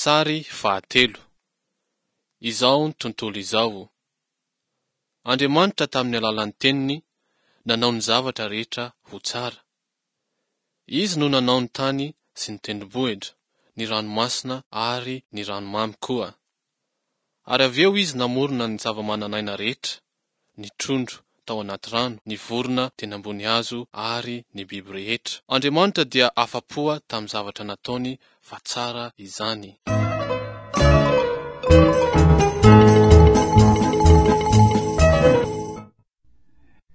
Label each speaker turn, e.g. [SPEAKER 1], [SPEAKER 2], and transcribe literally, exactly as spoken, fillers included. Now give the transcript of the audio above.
[SPEAKER 1] Sary fahatelo. Izao tontolo izao. Andriamanitra tamin'ny alalan'ny teniny nanao ny zavatra rehetra ho tsara. Izy no nanao ny tany sy ny tendrombohitra, ny ranomasina ary ny ranomamy koa. Ary avy eo izy namorona ny zava-manan'aina rehetra, ny trondro tao anaty rano, ny vorona teny ambony hazo ary ny biby rehetra. Andriamanitra dia afa-po tamin'ny zavatra nataony fa tsara izany.